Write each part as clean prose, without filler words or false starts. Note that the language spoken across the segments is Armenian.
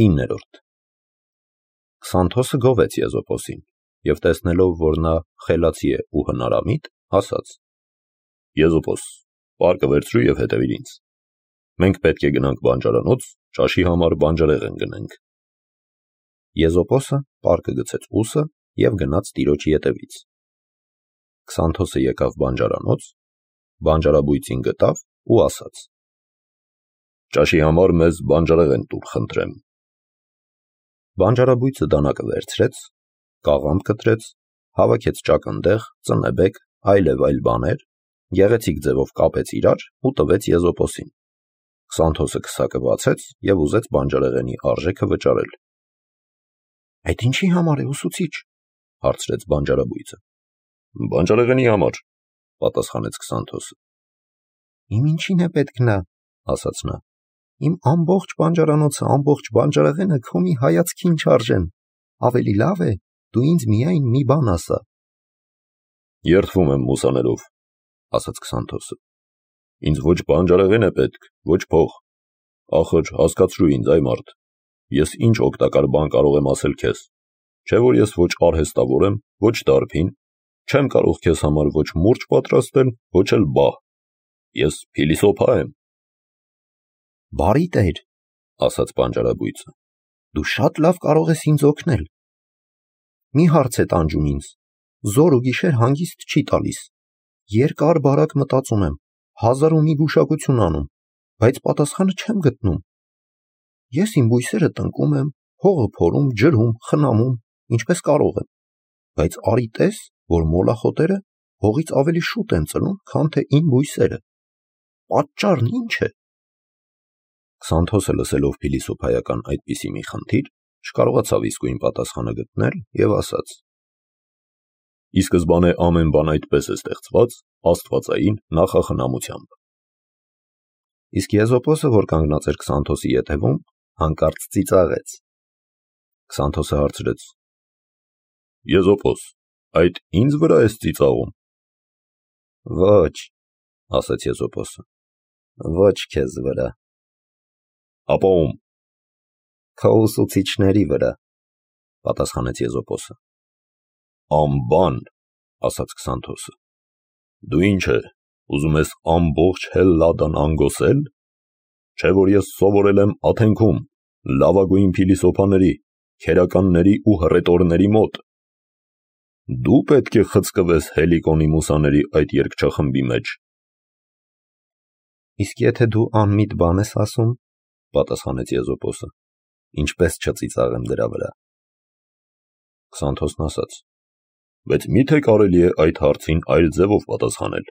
9. Քսանթոսը գովեց Եզոպոսին և տեսնելով, որ նա խելացի է ու հնարամիտ, ասաց. Եզոպոս, պարկը վերցրու և հետևիր ինձ։ Մենք պետք է գնանք բանջարանոց, ճաշի համար բանջարեղեն գնենք։ Եզոպոսը պարկը գցեց ուսը և գնաց տիրոջի ետևից։ Քսանթոսը եկավ բանջարանոց, բանջարաբույծին գտավ ու ասաց. Ճաշի համար մեզ բանջարեղեն տուր, խնդրեմ։ Բանջարաբույծը դանակը վերցրեց, կաղամբ կտրեց, հավաքեց ճակնդեղ, ծնեբեկ, այլև այլ բաներ, գեղեցիկ ձևով կապեց իրար ու տվեց Եզոպոսին։ Քսանթոսը քսակը բացեց և ուզեց բանջարեղենի արժեքը վճարել։ Այդ ինչի համար է, ուսուցիչ, հարցրեց բանջարաբույծը։ Բանջարեղենի համար, պատասխանեց Քսանթոսը։ Իմ ինչին է պետք նա, ասաց նա։ Իմ ամբողջ բանջարանոցը, ամբողջ բանջարեղենը քո մի հայացքին չարժեն։ Ավելի լավ է, դու ինձ միայն մի բան ասա։ Երդվում եմ մուսաներով, ասաց Քսանթոսը։ Ինձ ոչ բանջարեղեն է պետք, ոչ փող։ Ախր հասկացրու ինձ, այ մարդ, ես ինչ օգտակար բան կարող եմ ասել քեզ, չէ որ ես ոչ արհեստավոր եմ, ոչ դարբին, չեմ կարող քեզ համար ոչ մուրճ պատրաստել, ոչ էլ բահ։ Ես փիլիսոփա եմ։ Բարի տեր, ասաց բանջարաբույծը, դու շատ լավ կարող ես ինձ օգնել։ Մի հարց է տանջում ինձ, զոր ու գիշեր հանգիստ չի տալիս։ Երկար բարակ մտածում եմ, 1001 գուշակություն անում, բայց պատասխանը չեմ գտնում։ Ես իմ բույսերը տնկում եմ, հողը փորում, ջրում, խնամում, ինչպես կարող եմ, բայց արի տես, որ մոլախոտերը հողից ավելի շուտ են ծլում, քան թե իմ բույսերը։ Պատճառն ի՞նչ է։ Քսանթոսը լսելով փիլիսոփայական այդպիսի մի խնդիր, չկարողացավ իսկույն պատասխանը գտնել և ասաց. Ի սկզբանե ամեն բան այդպես է ստեղծված, աստվածային նախախնամությամբ։ Իսկ Եզոպոսը, որ կանգնած էր Քսանթոսի ետևում, հանկարծ ծիծաղեց։ Քսանթոսը հարցրեց. Եզոպոս, այդ ինձ վրա ես ծիծաղում։ Ոչ, ասաց Եզոպոսը, ոչ քեզ վրա։ Ապա ում։ Քո ուսուցիչների վրա, պատասխանեց Եզոպոսը։ Ամբան, ասաց Քսանթոսը։ Դու ինչ է, ուզում ես ամբողջ Հելլադան անգոսել։ Չէ որ ես սովորել եմ Աթենքում, լավագույն փիլիսոփաների, քերականների ու հռետորների մոտ։ Դու պետք է խցկվես Հելիկոնի մուսաների այդ երգչախմբի մեջ։ Իսկ եթե դու անմիտ բան ես ասում, պատասխանեց Եզոպոսը, ինչպես չծիծաղեմ դրա վրա։ Քսանթոսն ասաց. Բայց միթե կարելի է այդ հարցին այլ ձևով պատասխանել,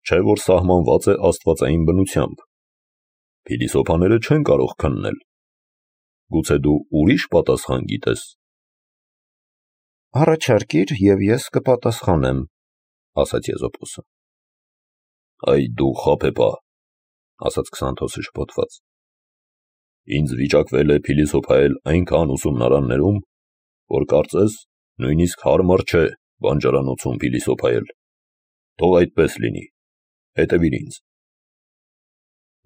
չէ որ սահմանված է աստվածային բնությամբ։ Փիլիսոփաները չեն կարող քննել։ Գուցե դու ուրիշ պատասխան գիտես։ Առաջարկիր և ես կպատասխանեմ, ասաց Եզոպոսը։ Այ դու խաբեբա, ասաց Քսանթոսը շփոթված։ Ինձ վիճակվել է փիլիսոփայել այնքան ուսումնարաններում, որ կարծես նույնիսկ հարմար չէ բանջարանոցում փիլիսոփայել։ Թող այդպես լինի, հետևիր ինձ։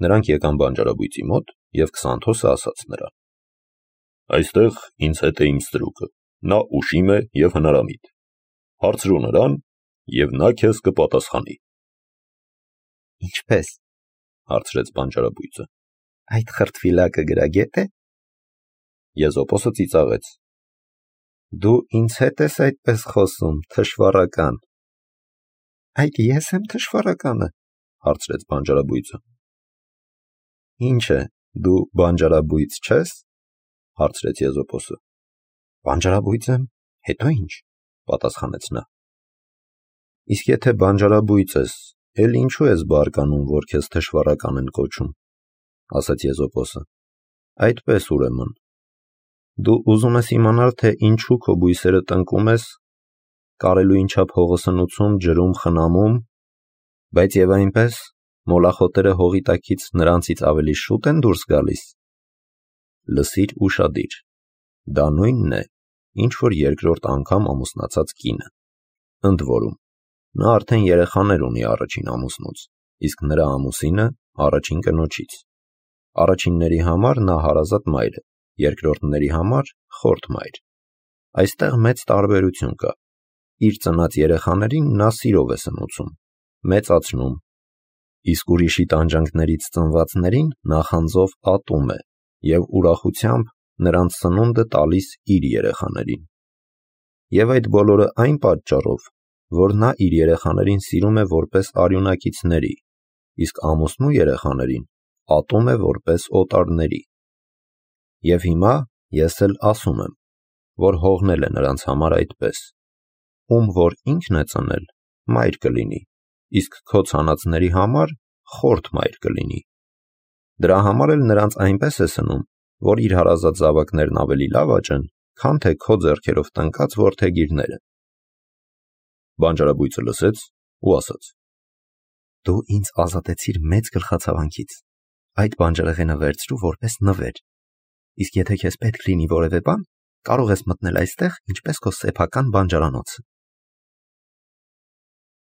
Նրանք եկան բանջարաբույծի մոտ և Քսանթոսը ասաց նրան. Այստեղ ինձ հետ է իմ ստրուկը, նա ուշիմ է և հնարամիտ։ Հարցրու նրան, և նա քեզ կպատասխանի։ Ինչպես, հարցրեց բանջարաբույծը, այդ խրտվիլակը գրագետ է։ Եզոպոսը ծիծաղեց. Դու ինձ հետ ես այդպես խոսում, թշվառական։ Այդ ես եմ թշվառականը, հարցրեց բանջարաբույծը։ Ինչ է, դու բանջարաբույծ չես, հարցրեց Եզոպոսը։ Բանջարաբույծ եմ, հետո ինչ, պատասխանեց նա։ Իսկ եթե բանջարաբույծ ես, էլ ինչու ես բարկանում, որ քեզ թշվառական են կոչում, ասաց Եզոպոսը։ Այդպես ուրեմն, դու ուզում ես իմանալ, թե ինչու քո բույսերը տնկում ես, կարելույն չափ հողը սնուցում, ջրում, խնամում, բայց եւ այնպես մոլախոտերը հողի տակից նրանցից ավելի շուտ են դուրս գալիս։ Լսիր ուշադիր, դա նույնն է, ինչ որ երկրորդ անգամ ամուսնացած կինը։ Ընդ որում, նա արդեն երեխաներ ունի առաջին ամուսնուց, իսկ նրա ամուսինը առաջին կնոջից։ Առաջինների համար նա հարազատ մայր է, երկրորդների համար խորթ մայր։ Այստեղ մեծ տարբերություն կա։ Իր ծնած երեխաներին նա սիրով է սնուցում, մեծացնում, իսկ ուրիշի տանջանքներից ծնվածներին նախանձով ատում է և ուրախությամբ նրանց սնունդը տալիս իր երեխաներին։ Եվ այդ բոլորը այն պատճառով, որ նա իր երեխաներին սիրում է որպես արյունակիցների, իսկ ամուսնու երեխաներին ատում է որպես օտարների։ Եվ հիմա ես էլ ասում եմ, որ հողնել է նրանց համար այդպես. ում որ ինքն է ծնել, մայր կլինի, իսկ քո ցանածների համար խորթ մայր կլինի։ Դրա համար էլ նրանց այնպես է սնում, որ իր հարազատ զավակներն ավելի լավ աճեն, քան թե քո ձեռքերով տնկած որդեգիրները։ Բանջարաբույծը լսեց ու ասաց. Դու ինձ ազատեցիր մեծ գլխացավանքից։ Այդ բանջարեղենը վերցրու որպես նվեր։ Իսկ եթե քեզ պետք լինի որևէ բան, կարող ես մտնել այստեղ, ինչպես քո սեփական բանջարանոցը։